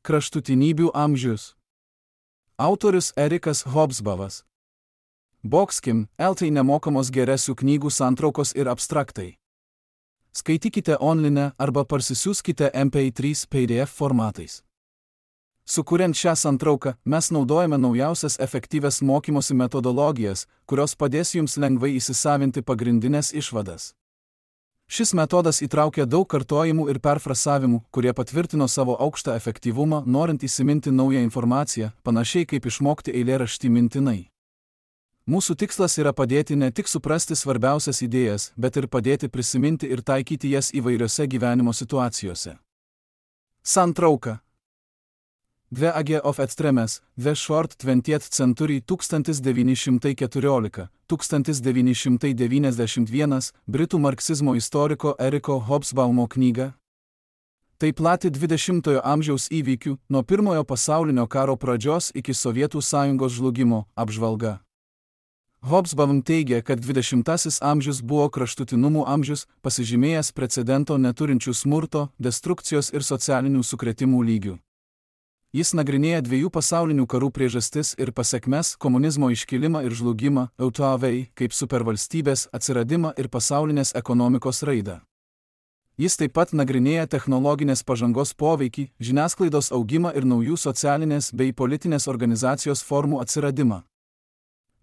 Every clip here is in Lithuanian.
Kraštutinybių amžius. Autorius Erikas Hobsbawmas. Boxkim, LT nemokamos geresių knygų santraukos ir abstraktai. Skaitykite online arba parsisiųskite MP3 PDF formatais. Sukuriant šią santrauką, mes naudojame naujausias efektyvias mokymosi metodologijas, kurios padės jums lengvai įsisavinti pagrindinės išvadas. Šis metodas įtraukia daug kartojimų ir perfrasavimų, kurie patvirtino savo aukštą efektyvumą, norint įsiminti naują informaciją, panašiai kaip išmokti eilėraštį mintinai. Mūsų tikslas yra padėti ne tik suprasti svarbiausias idėjas, bet ir padėti prisiminti ir taikyti jas įvairiose gyvenimo situacijose. Santrauka. The Age of Extremes, The Short 20th Century 1991, britų marksizmo istoriko Eriko Hobsbawmo knyga. Tai plati 20-ojo amžiaus įvykių, nuo Pirmojo pasaulinio karo pradžios iki Sovietų sąjungos žlugimo, apžvalga. Hobsbawm teigia, kad 20-asis amžius buvo kraštutinumų amžius, pasižymėjęs precedento neturinčių smurto, destrukcijos ir socialinių sukrėtimų lygių. Jis nagrinėja dviejų pasaulinių karų priežastis ir pasekmes, komunizmo iškilimą ir žlugimą, EUTOV kaip supervalstybės atsiradimą ir pasaulinės ekonomikos raidą. Jis taip pat nagrinėja technologinės pažangos poveikį, žiniasklaidos augimą ir naujų socialinės bei politinės organizacijos formų atsiradimą.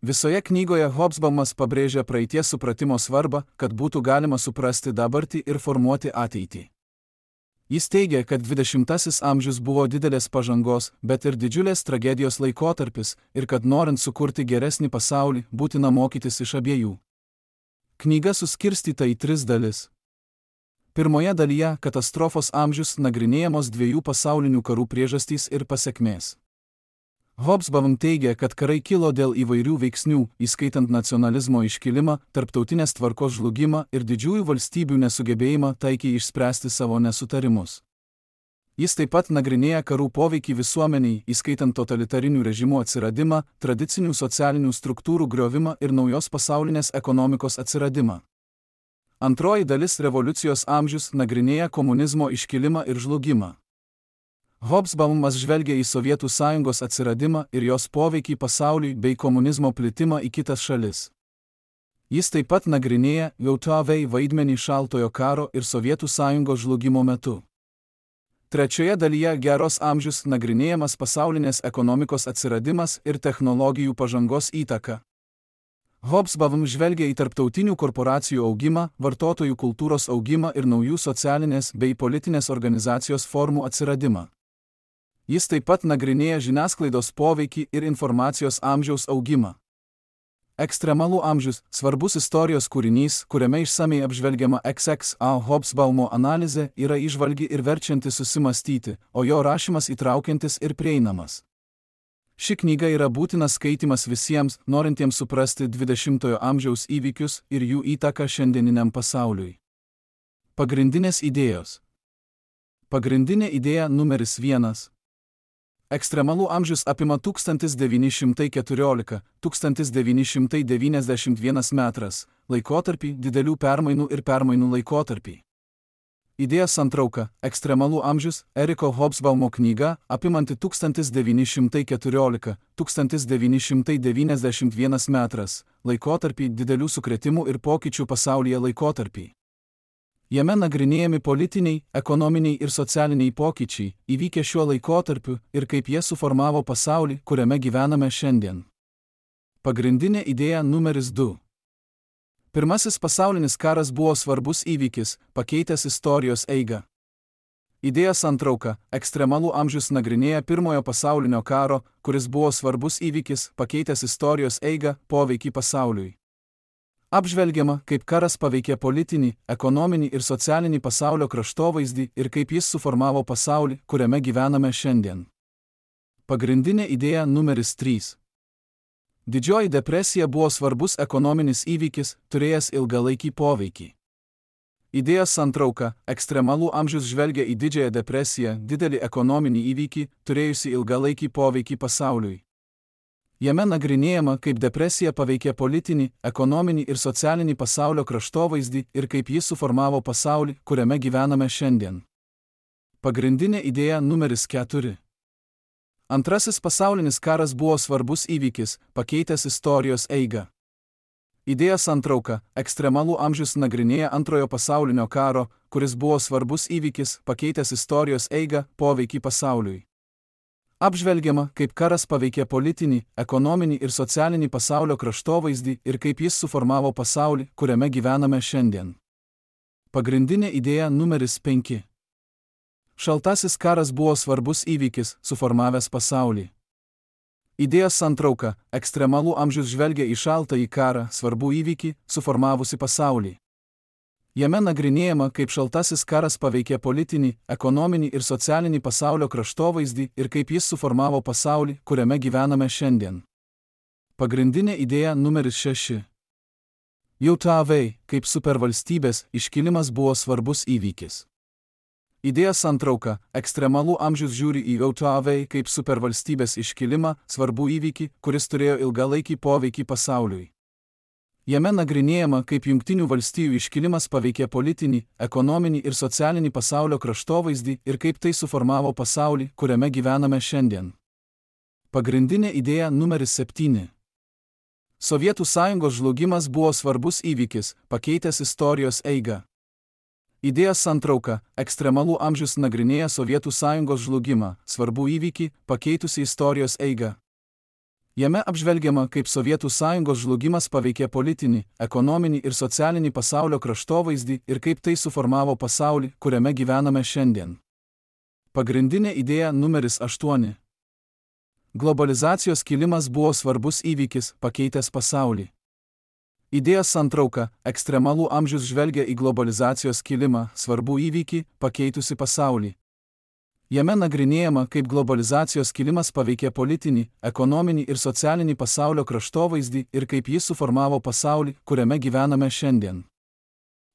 Visoje knygoje Hobsbawmas pabrėžia praeities supratimo svarbą, kad būtų galima suprasti dabartį ir formuoti ateitį. Jis teigia, kad 20-asis amžius buvo didelės pažangos, bet ir didžiulės tragedijos laikotarpis ir kad norint sukurti geresnį pasaulį, būtina mokytis iš abiejų. Knyga suskirstyta į 3 dalis. Pirmoje dalyje katastrofos amžius nagrinėjamos dviejų pasaulinių karų priežastys ir pasekmės. Hobsbawm teigia, kad karai kilo dėl įvairių veiksnių, įskaitant nacionalizmo iškilimą, tarptautinės tvarkos žlugimą ir didžiųjų valstybių nesugebėjimą taikiai išspręsti savo nesutarimus. Jis taip pat nagrinėja karų poveikį visuomeniai, įskaitant totalitarinių režimų atsiradimą, tradicinių socialinių struktūrų griovimą ir naujos pasaulinės ekonomikos atsiradimą. Antroji dalis revoliucijos amžius nagrinėja komunizmo iškilimą ir žlugimą. Hobsbawmas žvelgia į Sovietų sąjungos atsiradimą ir jos poveikį pasauliui bei komunizmo plitimą į kitas šalis. Jis taip pat nagrinėja EUTOV vaidmenį šaltojo karo ir Sovietų sąjungos žlugimo metu. Trečioje dalyje geros amžius nagrinėjamas pasaulinės ekonomikos atsiradimas ir technologijų pažangos įtaka. Hobsbawm žvelgia į tarptautinių korporacijų augimą, vartotojų kultūros augimą ir naujų socialinės bei politinės organizacijos formų atsiradimą. Jis taip pat nagrinėja žiniasklaidos poveikį ir informacijos amžiaus augimą. Ekstremalų amžius – svarbus istorijos kūrinys, kuriame išsamiai apžvelgiama XXA Hobsbawmo analizė, yra įžvalgi ir verčianti susimastyti, o jo rašymas įtraukiantis ir prieinamas. Ši knyga yra būtinas skaitymas visiems, norintiems suprasti 20-ojo amžiaus įvykius ir jų įtaką šiandieniniam pasauliui. Pagrindinės idėjos. Pagrindinė idėja numeris 1. Ekstremalų amžius apima 1914–1991 metras, laikotarpį, didelių permainų ir permainų laikotarpį. Idėja santrauka – Ekstremalų amžius, Eriko Hobsbawmo knyga, apimanti 1914–1991 metras, laikotarpį, didelių sukrėtimų ir pokyčių pasaulyje laikotarpį. Jame nagrinėjami politiniai, ekonominiai ir socialiniai pokyčiai, įvykę šiuo laikotarpiu ir kaip jie suformavo pasaulį, kuriame gyvename šiandien. Pagrindinė idėja numeris 2. Pirmasis pasaulinis karas buvo svarbus įvykis, pakeitęs istorijos eigą. Idėja santrauka – Ekstremalų amžius nagrinėja Pirmojo pasaulinio karo, kuris buvo svarbus įvykis, pakeitęs istorijos eigą, poveikį pasauliui. Apžvelgiama, kaip karas paveikė politinį, ekonominį ir socialinį pasaulio kraštovaizdį ir kaip jis suformavo pasaulį, kuriame gyvename šiandien. Pagrindinė idėja numeris 3. Didžioji depresija buvo svarbus ekonominis įvykis, turėjęs ilgalaikį poveikį. Idėja santrauka – Ekstremalų amžius žvelgia į Didžiąją depresiją, didelį ekonominį įvykį, turėjusi ilgalaikį poveikį pasauliui. Jame nagrinėjama, kaip depresija paveikė politinį, ekonominį ir socialinį pasaulio kraštovaizdį ir kaip jis suformavo pasaulį, kuriame gyvename šiandien. Pagrindinė idėja numeris 4. Antrasis pasaulinis karas buvo svarbus įvykis, pakeitęs istorijos eigą. Idėjos santrauka – ekstremalų amžius nagrinėja Antrojo pasaulinio karo, kuris buvo svarbus įvykis, pakeitęs istorijos eigą, poveikį pasauliui. Apžvelgiama, kaip karas paveikė politinį, ekonominį ir socialinį pasaulio kraštovaizdį ir kaip jis suformavo pasaulį, kuriame gyvename šiandien. Pagrindinė idėja numeris 5. Šaltasis karas buvo svarbus įvykis, suformavęs pasaulį. Idėjos santrauka – ekstremalų amžius žvelgia į šaltąjį karą, svarbų įvykį, suformavusi pasaulį. Jame nagrinėjama, kaip šaltasis karas paveikė politinį, ekonominį ir socialinį pasaulio kraštovaizdį ir kaip jis suformavo pasaulį, kuriame gyvename šiandien. Pagrindinė idėja numeris 6. JAV kaip supervalstybės iškilimas buvo svarbus įvykis. Idėjos santrauka – ekstremalų amžius žiūri į JAV kaip supervalstybės iškilimą, svarbų įvykį, kuris turėjo ilgalaikį poveikį pasauliui. Jame nagrinėjama, kaip Jungtinių valstijų iškilimas paveikė politinį, ekonominį ir socialinį pasaulio kraštovaizdį ir kaip tai suformavo pasaulį, kuriame gyvename šiandien. Pagrindinė idėja numeris 7. Sovietų Sąjungos žlugimas buvo svarbus įvykis, pakeitęs istorijos eigą. Idėjos santrauka – ekstremalų amžius nagrinėja Sovietų Sąjungos žlugimą, svarbų įvykį, pakeitusį istorijos eigą. Jame apžvelgiama, kaip Sovietų Sąjungos žlugimas paveikė politinį, ekonominį ir socialinį pasaulio kraštovaizdį ir kaip tai suformavo pasaulį, kuriame gyvename šiandien. Pagrindinė idėja numeris 8. Globalizacijos kilimas buvo svarbus įvykis, pakeitęs pasaulį. Idėjos santrauka – ekstremalų amžius žvelgia į globalizacijos kilimą, svarbų įvykį, pakeitusi pasaulį. Jame nagrinėjama, kaip globalizacijos kilimas paveikė politinį, ekonominį ir socialinį pasaulio kraštovaizdį ir kaip jis suformavo pasaulį, kuriame gyvename šiandien.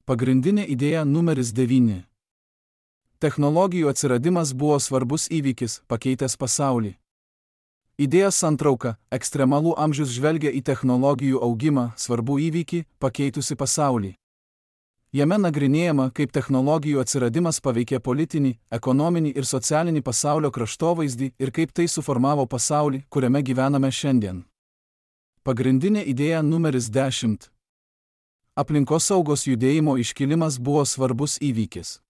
Pagrindinė idėja numeris 9. Technologijų atsiradimas buvo svarbus įvykis, pakeitęs pasaulį. Idėjos santrauka – ekstremalų amžius žvelgia į technologijų augimą, svarbų įvykį, pakeitusi pasaulį. Jame nagrinėjama, kaip technologijų atsiradimas paveikė politinį, ekonominį ir socialinį pasaulio kraštovaizdį ir kaip tai suformavo pasaulį, kuriame gyvename šiandien. Pagrindinė idėja numeris 10. Aplinkosaugos judėjimo iškilimas buvo svarbus įvykis.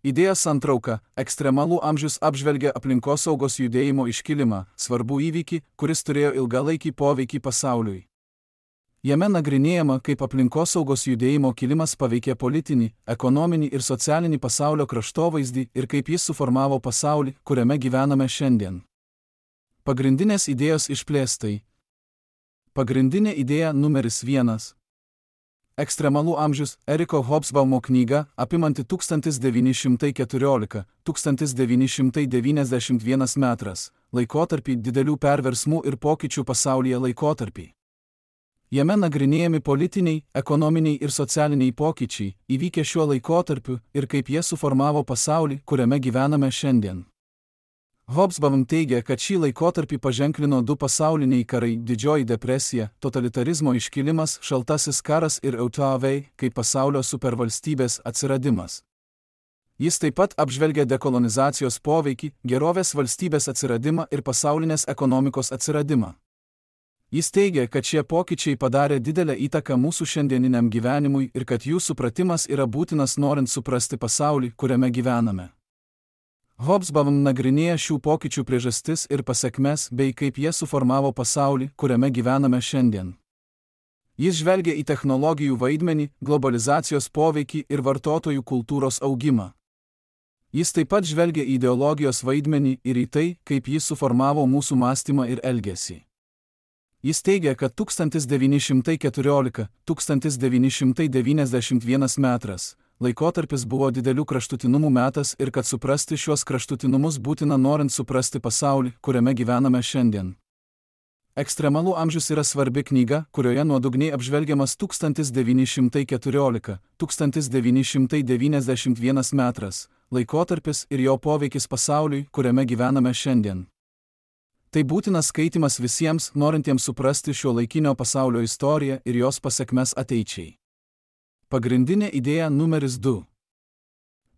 Idėjos santrauka – ekstremalų amžius apžvelgia aplinkosaugos judėjimo iškilimą, svarbų įvykį, kuris turėjo ilgalaikį poveikį pasauliui. Jame nagrinėjama, kaip aplinkosaugos judėjimo kilimas paveikė politinį, ekonominį ir socialinį pasaulio kraštovaizdį ir kaip jis suformavo pasaulį, kuriame gyvename šiandien. Pagrindinės idėjos išplėstai. Pagrindinė idėja numeris 1. Ekstremalų amžius – Eriko Hobsbaumo knyga, apimanti 1914–1991 metras, laikotarpį didelių perversmų ir pokyčių pasaulyje laikotarpį. Jame nagrinėjami politiniai, ekonominiai ir socialiniai pokyčiai, įvykę šiuo laikotarpiu ir kaip jie suformavo pasaulį, kuriame gyvename šiandien. Hobsbawm teigia, kad šį laikotarpį paženklino 2 pasauliniai karai – Didžioji depresija, totalitarizmo iškilimas, šaltasis karas ir JAV kaip pasaulio supervalstybės atsiradimas. Jis taip pat apžvelgia dekolonizacijos poveikį, gerovės valstybės atsiradimą ir pasaulinės ekonomikos atsiradimą. Jis teigia, kad šie pokyčiai padarė didelę įtaką mūsų šiandieniniam gyvenimui ir kad jų supratimas yra būtinas norint suprasti pasaulį, kuriame gyvename. Hobsbawm nagrinėja šių pokyčių priežastis ir pasekmes bei kaip jie suformavo pasaulį, kuriame gyvename šiandien. Jis žvelgia į technologijų vaidmenį, globalizacijos poveikį ir vartotojų kultūros augimą. Jis taip pat žvelgia į ideologijos vaidmenį ir į tai, kaip jis suformavo mūsų mąstymą ir elgesį. Jis teigia, kad 1914–1991 metras laikotarpis buvo didelių kraštutinumų metas ir kad suprasti šiuos kraštutinumus būtina norint suprasti pasaulį, kuriame gyvename šiandien. Ekstremalų amžius yra svarbi knyga, kurioje nuodugniai apžvelgiamas 1914–1991 metras laikotarpis ir jo poveikis pasauliui, kuriame gyvename šiandien. Tai būtinas skaitimas visiems, norintiems suprasti šio laikinio pasaulio istoriją ir jos pasekmes ateičiai. Pagrindinė idėja numeris 2.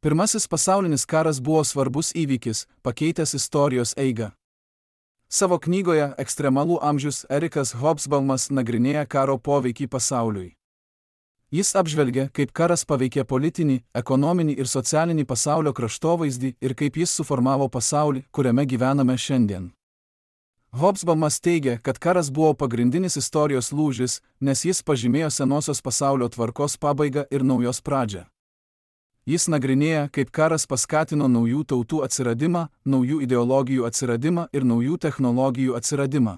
Pirmasis pasaulinis karas buvo svarbus įvykis, pakeitęs istorijos eigą. Savo knygoje Ekstremalų amžius Erikas Hobsbaumas nagrinėja karo poveikį pasauliui. Jis apžvelgia, kaip karas paveikė politinį, ekonominį ir socialinį pasaulio kraštovaizdį ir kaip jis suformavo pasaulį, kuriame gyvename šiandien. Hobsbaumas teigia, kad karas buvo pagrindinis istorijos lūžis, nes jis pažymėjo senosios pasaulio tvarkos pabaigą ir naujos pradžią. Jis nagrinėja, kaip karas paskatino naujų tautų atsiradimą, naujų ideologijų atsiradimą ir naujų technologijų atsiradimą.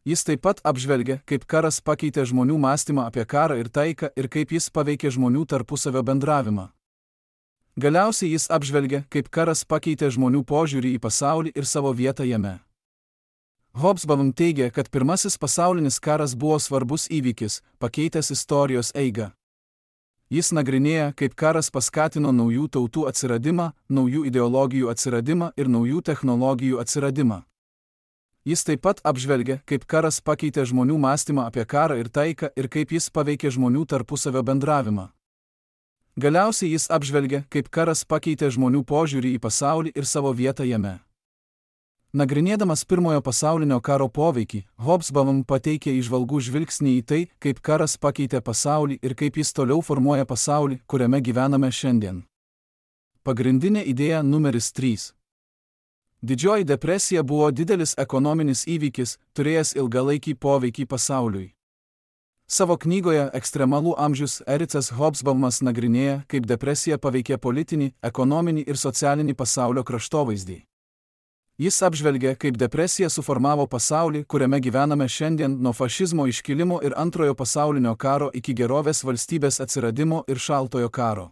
Jis taip pat apžvelgia, kaip karas pakeitė žmonių mąstymą apie karą ir taiką ir kaip jis paveikė žmonių tarpusavio bendravimą. Galiausiai jis apžvelgia, kaip karas pakeitė žmonių požiūrį į pasaulį ir savo vietą jame. Hobsbawm teigia, kad pirmasis pasaulinis karas buvo svarbus įvykis, pakeitęs istorijos eigą. Jis nagrinėja, kaip karas paskatino naujų tautų atsiradimą, naujų ideologijų atsiradimą ir naujų technologijų atsiradimą. Jis taip pat apžvelgia, kaip karas pakeitė žmonių mąstymą apie karą ir taiką ir kaip jis paveikė žmonių tarpusavio bendravimą. Galiausiai jis apžvelgia, kaip karas pakeitė žmonių požiūrį į pasaulį ir savo vietą jame. Nagrinėdamas pirmojo pasaulinio karo poveikį, Hobsbawm pateikė įžvalgų žvilgsnį į tai, kaip karas pakeitė pasaulį ir kaip jis toliau formuoja pasaulį, kuriame gyvename šiandien. Pagrindinė idėja numeris 3. Didžioji depresija buvo didelis ekonominis įvykis, turėjęs ilgalaikį poveikį pasauliui. Savo knygoje Ekstremalų amžius Erikas Hobsbaumas nagrinėja, kaip depresija paveikė politinį, ekonominį ir socialinį pasaulio kraštovaizdį. Jis apžvelgia, kaip depresija suformavo pasaulį, kuriame gyvename šiandien, nuo fašizmo iškilimo ir Antrojo pasaulinio karo iki gerovės valstybės atsiradimo ir Šaltojo karo.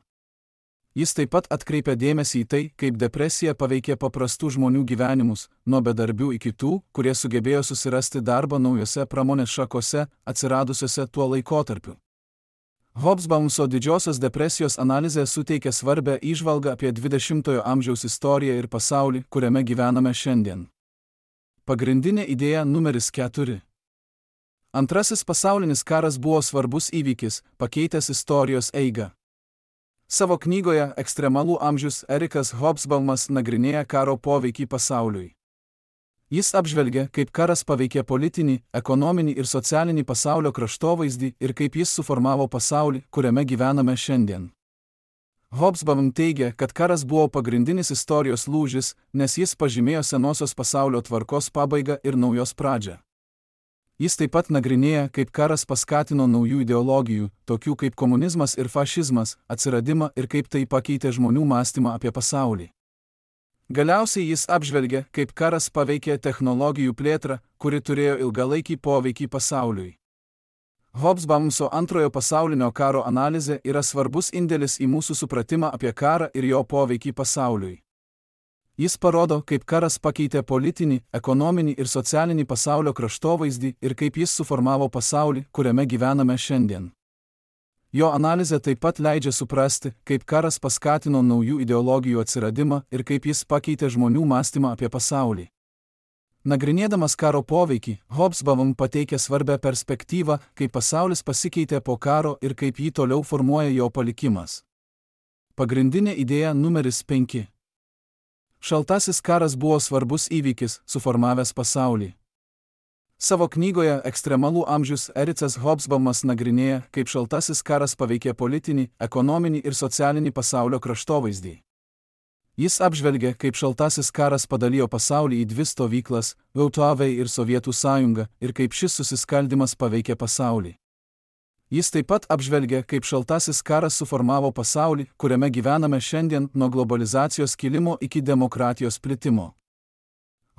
Jis taip pat atkreipia dėmesį į tai, kaip depresija paveikė paprastų žmonių gyvenimus, nuo bedarbių iki tų, kurie sugebėjo susirasti darbą naujose pramonės šakose, atsiradusiose tuo laikotarpiu. Hobsbawmso didžiosios depresijos analizė suteikia svarbią įžvalgą apie 20-ojo amžiaus istoriją ir pasaulį, kuriame gyvename šiandien. Pagrindinė idėja numeris 4. Antrasis pasaulinis karas buvo svarbus įvykis, pakeitęs istorijos eigą. Savo knygoje Ekstremalų amžius Erikas Hobsbaumas nagrinėja karo poveikį pasauliui. Jis apžvelgia, kaip karas paveikė politinį, ekonominį ir socialinį pasaulio kraštovaizdį ir kaip jis suformavo pasaulį, kuriame gyvename šiandien. Hobsbawm teigia, kad karas buvo pagrindinis istorijos lūžis, nes jis pažymėjo senosios pasaulio tvarkos pabaigą ir naujos pradžią. Jis taip pat nagrinėja, kaip karas paskatino naujų ideologijų, tokių kaip komunizmas ir fašizmas, atsiradimą ir kaip tai pakeitė žmonių mąstymą apie pasaulį. Galiausiai jis apžvelgia, kaip karas paveikė technologijų plėtrą, kuri turėjo ilgalaikį poveikį pasauliui. Hobsbawmso Antrojo pasaulinio karo analizė yra svarbus indėlis į mūsų supratimą apie karą ir jo poveikį pasauliui. Jis parodo, kaip karas pakeitė politinį, ekonominį ir socialinį pasaulio kraštovaizdį ir kaip jis suformavo pasaulį, kuriame gyvename šiandien. Jo analizė taip pat leidžia suprasti, kaip karas paskatino naujų ideologijų atsiradimą ir kaip jis pakeitė žmonių mąstymą apie pasaulį. Nagrinėdamas karo poveikį, Hobsbawm pateikia svarbią perspektyvą, kaip pasaulis pasikeitė po karo ir kaip jį toliau formuoja jo palikimas. Pagrindinė idėja numeris 5. Šaltasis karas buvo svarbus įvykis, suformavęs pasaulį. Savo knygoje Ekstremalų amžius Erikas Hobsbaumas nagrinėja, kaip šaltasis karas paveikė politinį, ekonominį ir socialinį pasaulio kraštovaizdį. Jis apžvelgia, kaip šaltasis karas padalijo pasaulį į dvi stovyklas – VTV ir Sovietų sąjungą, ir kaip šis susiskaldymas paveikė pasaulį. Jis taip pat apžvelgia, kaip šaltasis karas suformavo pasaulį, kuriame gyvename šiandien, nuo globalizacijos kilimo iki demokratijos plitimo.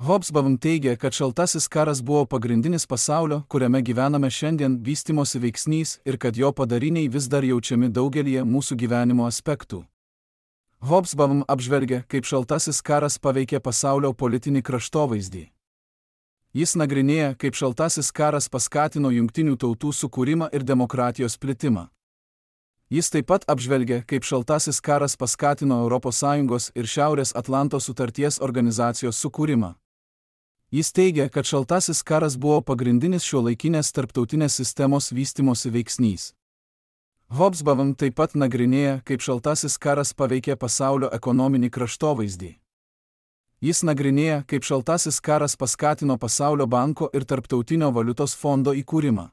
Hobsbawm teigia, kad šaltasis karas buvo pagrindinis pasaulio, kuriame gyvename šiandien, vystymosi veiksnys ir kad jo padariniai vis dar jaučiami daugelyje mūsų gyvenimo aspektų. Hobsbawm apžvelgia, kaip šaltasis karas paveikė pasaulio politinį kraštovaizdį. Jis nagrinėja, kaip šaltasis karas paskatino Jungtinių tautų sukūrimą ir demokratijos plitimą. Jis taip pat apžvelgia, kaip šaltasis karas paskatino ES ir Šiaurės Atlanto sutarties organizacijos sukūrimą. Jis teigia, kad šaltasis karas buvo pagrindinis šiuolaikinės tarptautinės sistemos vystymosi veiksnys. Hobsbawm taip pat nagrinėja, kaip šaltasis karas paveikė pasaulio ekonominį kraštovaizdį. Jis nagrinėja, kaip šaltasis karas paskatino Pasaulio banko ir Tarptautinio valiutos fondo įkūrimą.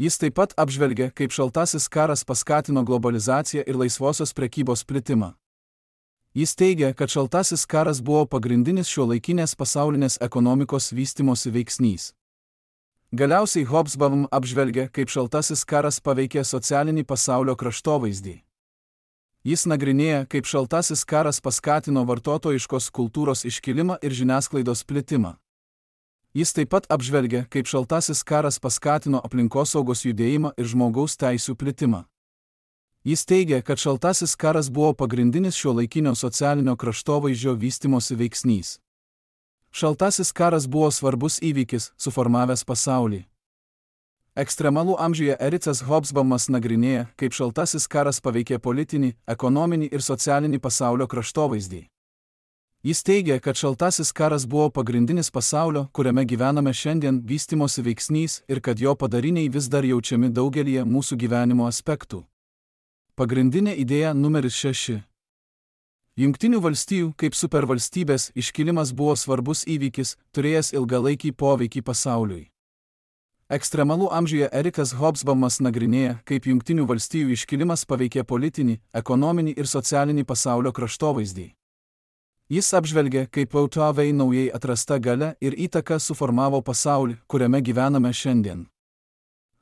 Jis taip pat apžvelgia, kaip šaltasis karas paskatino globalizaciją ir laisvosios prekybos plitimą. Jis teigia, kad šaltasis karas buvo pagrindinis šiuolaikinės pasaulinės ekonomikos vystymosi veiksnys. Galiausiai Hobsbawm apžvelgia, kaip šaltasis karas paveikė socialinį pasaulio kraštovaizdį. Jis nagrinėja, kaip šaltasis karas paskatino vartotojiškos kultūros iškilimą ir žiniasklaidos plitimą. Jis taip pat apžvelgia, kaip šaltasis karas paskatino aplinkosaugos judėjimą ir žmogaus teisių plitimą. Jis teigia, kad šaltasis karas buvo pagrindinis šiuolaikinio socialinio kraštovaizdžio vystymosi veiksnys. Šaltasis karas buvo svarbus įvykis, suformavęs pasaulį. Ekstremalų amžiuje Ericas Hobsbawmas nagrinėja, kaip šaltasis karas paveikė politinį, ekonominį ir socialinį pasaulio kraštovaizdį. Jis teigia, kad šaltasis karas buvo pagrindinis pasaulio, kuriame gyvename šiandien, vystymosi veiksnys ir kad jo padariniai vis dar jaučiami daugelyje mūsų gyvenimo aspektų. Pagrindinė idėja numeris 6. Jungtinių valstijų kaip supervalstybės iškilimas buvo svarbus įvykis, turėjęs ilgalaikį poveikį pasauliui. Ekstremalų amžiuje Ericas Hobsbawmas nagrinėja, kaip Jungtinių valstijų iškilimas paveikė politinį, ekonominį ir socialinį pasaulio kraštovaizdį. Jis apžvelgia, kaip VTV naujai atrasta galia ir įtaka suformavo pasaulį, kuriame gyvename šiandien.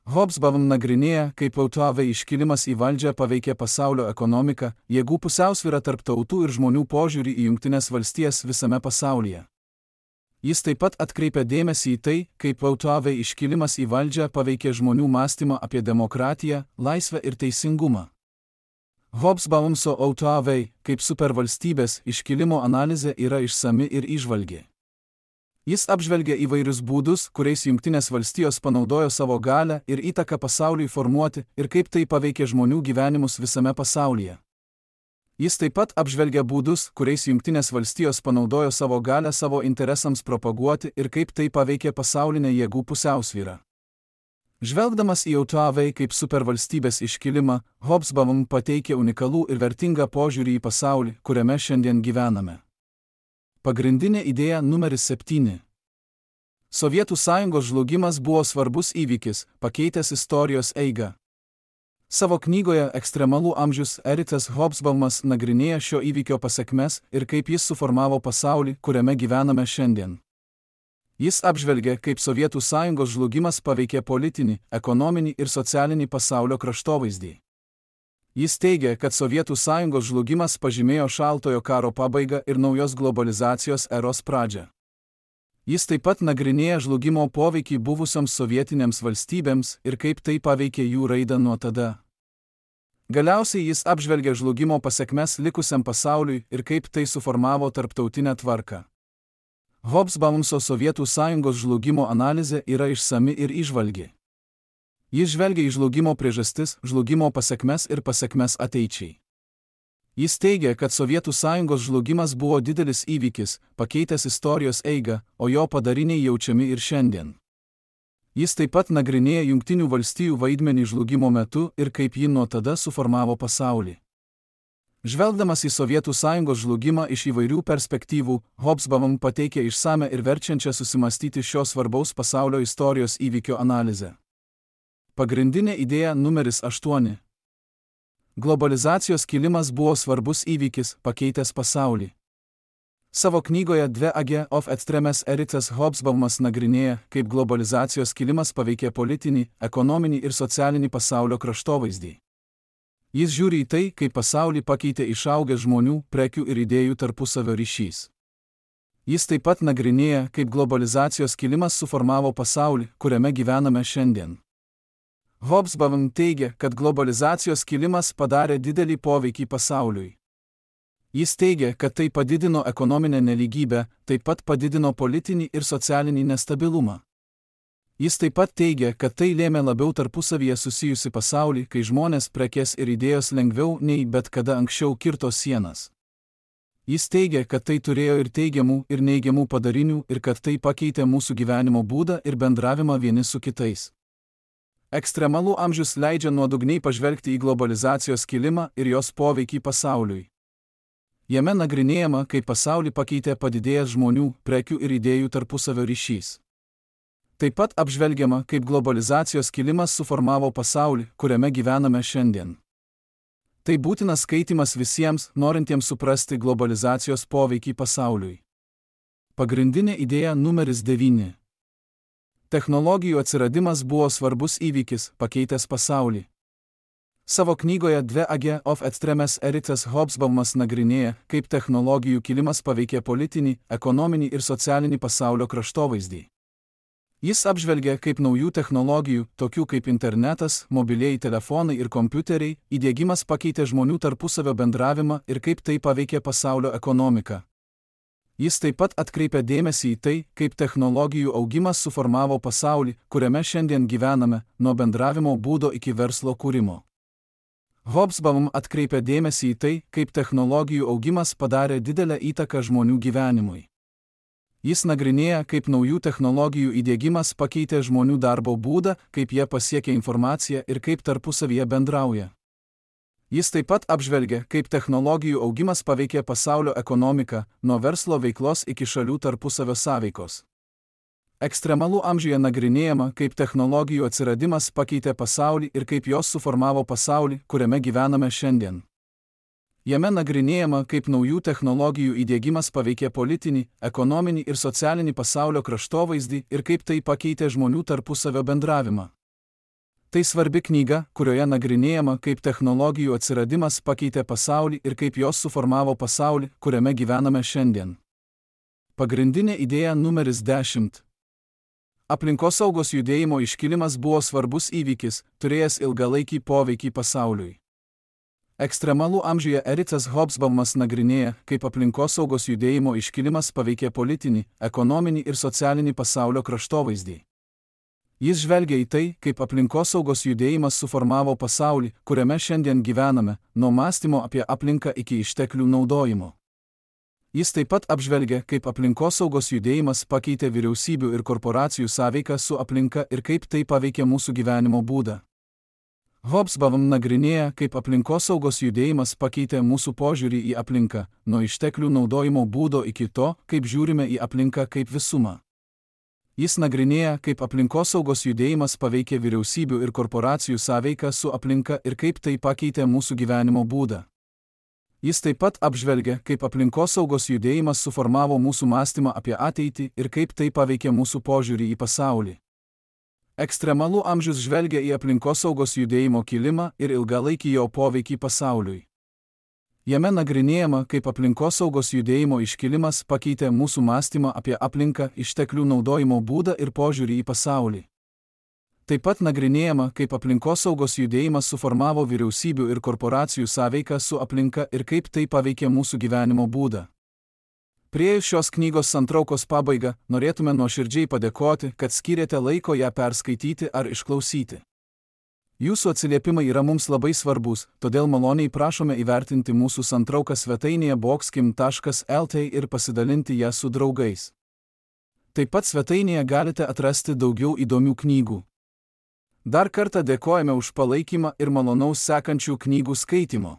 Hobsbawm nagrinėja, kaip VTV iškilimas į valdžią paveikė pasaulio ekonomiką, jėgų pusiausvyrą tarp tautų ir žmonių požiūrį į Jungtines valstijas visame pasaulyje. Jis taip pat atkreipia dėmesį į tai, kaip VTV iškilimas į valdžią paveikė žmonių mąstymą apie demokratiją, laisvę ir teisingumą. Hobsbawmso VTV kaip supervalstybės iškilimo analizė yra išsami ir įžvalgi. Jis apžvelgia įvairius būdus, kuriais Jungtinės valstijos panaudojo savo galią ir įtaką pasauliui formuoti ir kaip tai paveikė žmonių gyvenimus visame pasaulyje. Jis taip pat apžvelgia būdus, kuriais Jungtinės valstijos panaudojo savo galią savo interesams propaguoti ir kaip tai paveikė pasaulinę jėgų pusiausvyrą. Žvelgdamas į VTV kaip supervalstybės iškilimą, Hobsbawm pateikė unikalų ir vertingą požiūrį į pasaulį, kuriame šiandien gyvename. Pagrindinė idėja numeris 7. Sovietų sąjungos žlugimas buvo svarbus įvykis, pakeitęs istorijos eigą. Savo knygoje Ekstremalų amžius Ericas Hobsbawmas nagrinėja šio įvykio pasekmes ir kaip jis suformavo pasaulį, kuriame gyvename šiandien. Jis apžvelgia, kaip Sovietų sąjungos žlugimas paveikė politinį, ekonominį ir socialinį pasaulio kraštovaizdį. Jis teigia, kad Sovietų sąjungos žlugimas pažymėjo šaltojo karo pabaigą ir naujos globalizacijos eros pradžią. Jis taip pat nagrinėja žlugimo poveikį buvusioms sovietinėms valstybėms ir kaip tai paveikė jų raidą nuo tada. Galiausiai jis apžvelgia žlugimo pasekmes likusiam pasauliui ir kaip tai suformavo tarptautinę tvarką. Hobsbawmso Sovietų sąjungos žlugimo analizė yra išsami ir įžvalgi. Jis žvelgia į žlugimo priežastis, žlugimo pasekmes ir pasekmes ateičiai. Jis teigia, kad Sovietų sąjungos žlugimas buvo didelis įvykis, pakeitęs istorijos eigą, o jo padariniai jaučiami ir šiandien. Jis taip pat nagrinėja Jungtinių valstijų vaidmenį žlugimo metu ir kaip ji nuo tada suformavo pasaulį. Žvelgdamas į Sovietų sąjungos žlugimą iš įvairių perspektyvų, Hobsbawm pateikė išsame ir verčiančią susimastyti šio svarbaus pasaulio istorijos įvykio analizę. Pagrindinė idėja numeris 8. Globalizacijos kilimas buvo svarbus įvykis, pakeitęs pasaulį. Savo knygoje The Age of Extremes Ericas Hobsbawmas nagrinėja, kaip globalizacijos kilimas paveikė politinį, ekonominį ir socialinį pasaulio kraštovaizdį. Jis žiūri į tai, kaip pasaulį pakeitė išaugęs žmonių, prekių ir idėjų tarpusavio ryšys. Jis taip pat nagrinėja, kaip globalizacijos kilimas suformavo pasaulį, kuriame gyvename šiandien. Hobsbawm teigia, kad globalizacijos kilimas padarė didelį poveikį pasauliui. Jis teigia, kad tai padidino ekonominę nelygybę, taip pat padidino politinį ir socialinį nestabilumą. Jis taip pat teigia, kad tai lėmė labiau tarpusavyje susijusi pasaulį, kai žmonės, prekės ir idėjos lengviau nei bet kada anksčiau kirto sienas. Jis teigia, kad tai turėjo ir teigiamų, ir neigiamų padarinių ir kad tai pakeitė mūsų gyvenimo būdą ir bendravimą vieni su kitais. Ekstremalų amžius leidžia nuodugniai pažvelgti į globalizacijos kilimą ir jos poveikį pasauliui. Jame nagrinėjama, kaip pasaulį pakeitė padidėjęs žmonių, prekių ir idėjų tarpusavio ryšys. Taip pat apžvelgiama, kaip globalizacijos kilimas suformavo pasaulį, kuriame gyvename šiandien. Tai būtinas skaitymas visiems, norintiems suprasti globalizacijos poveikį pasauliui. Pagrindinė idėja numeris 9. Technologijų atsiradimas buvo svarbus įvykis, pakeitęs pasaulį. Savo knygoje The Age of Extremes Erikas Hobsbawmas nagrinėja, kaip technologijų kilimas paveikė politinį, ekonominį ir socialinį pasaulio kraštovaizdį. Jis apžvelgia, kaip naujų technologijų, tokių kaip internetas, mobilieji telefonai ir kompiuteriai, įdiegimas pakeitė žmonių tarpusavio bendravimą ir kaip tai paveikė pasaulio ekonomiką. Jis taip pat atkreipia dėmesį į tai, kaip technologijų augimas suformavo pasaulį, kuriame šiandien gyvename, nuo bendravimo būdo iki verslo kūrimo. Hobsbawm atkreipia dėmesį į tai, kaip technologijų augimas padarė didelę įtaką žmonių gyvenimui. Jis nagrinėja, kaip naujų technologijų įdiegimas pakeitė žmonių darbo būdą, kaip jie pasiekia informaciją ir kaip tarpusavyje bendrauja. Jis taip pat apžvelgia, kaip technologijų augimas paveikė pasaulio ekonomiką, nuo verslo veiklos iki šalių tarpusavio sąveikos. Ekstremalų amžiuje nagrinėjama, kaip technologijų atsiradimas pakeitė pasaulį ir kaip jos suformavo pasaulį, kuriame gyvename šiandien. Jame nagrinėjama, kaip naujų technologijų įdiegimas paveikė politinį, ekonominį ir socialinį pasaulio kraštovaizdį ir kaip tai pakeitė žmonių tarpusavio bendravimą. Tai svarbi knyga, kurioje nagrinėjama, kaip technologijų atsiradimas pakeitė pasaulį ir kaip jos suformavo pasaulį, kuriame gyvename šiandien. Pagrindinė idėja numeris 10. Aplinkosaugos judėjimo iškilimas buvo svarbus įvykis, turėjęs ilgalaikį poveikį pasauliui. Ekstremalų amžiuje Erikas Hobsbawmas nagrinėja, kaip aplinkosaugos judėjimo iškilimas paveikė politinį, ekonominį ir socialinį pasaulio kraštovaizdį. Jis žvelgia į tai, kaip aplinkosaugos judėjimas suformavo pasaulį, kuriame šiandien gyvename, nuo mąstymo apie aplinką iki išteklių naudojimo. Jis taip pat apžvelgia, kaip aplinkosaugos judėjimas pakeitė vyriausybių ir korporacijų sąveiką su aplinka ir kaip tai paveikė mūsų gyvenimo būdą. Hobsbawm nagrinėja, kaip aplinkosaugos judėjimas pakeitė mūsų požiūrį į aplinką, nuo išteklių naudojimo būdo iki to, kaip žiūrime į aplinką kaip visumą. Jis nagrinėja, kaip aplinkosaugos judėjimas paveikė vyriausybių ir korporacijų sąveiką su aplinka ir kaip tai pakeitė mūsų gyvenimo būdą. Jis taip pat apžvelgia, kaip aplinkosaugos judėjimas suformavo mūsų mąstymą apie ateitį ir kaip tai paveikė mūsų požiūrį į pasaulį. Ekstremalų amžius žvelgia į aplinkosaugos judėjimo kilimą ir ilgalaikį jo poveikį pasauliui. Jame nagrinėjama, kaip aplinkosaugos judėjimo iškilimas pakeitė mūsų mąstymą apie aplinką, išteklių naudojimo būdą ir požiūrį į pasaulį. Taip pat nagrinėjama, kaip aplinkosaugos judėjimas suformavo vyriausybių ir korporacijų sąveiką su aplinka ir kaip tai paveikė mūsų gyvenimo būdą. Priėjus šios knygos santraukos pabaigą, norėtume nuoširdžiai padėkoti, kad skyrėte laiko ją perskaityti ar išklausyti. Jūsų atsiliepimai yra mums labai svarbus, todėl maloniai prašome įvertinti mūsų santrauką svetainėje boxkim.lt ir pasidalinti ją su draugais. Taip pat svetainėje galite atrasti daugiau įdomių knygų. Dar kartą dėkojame už palaikymą ir malonaus sekančių knygų skaitimo.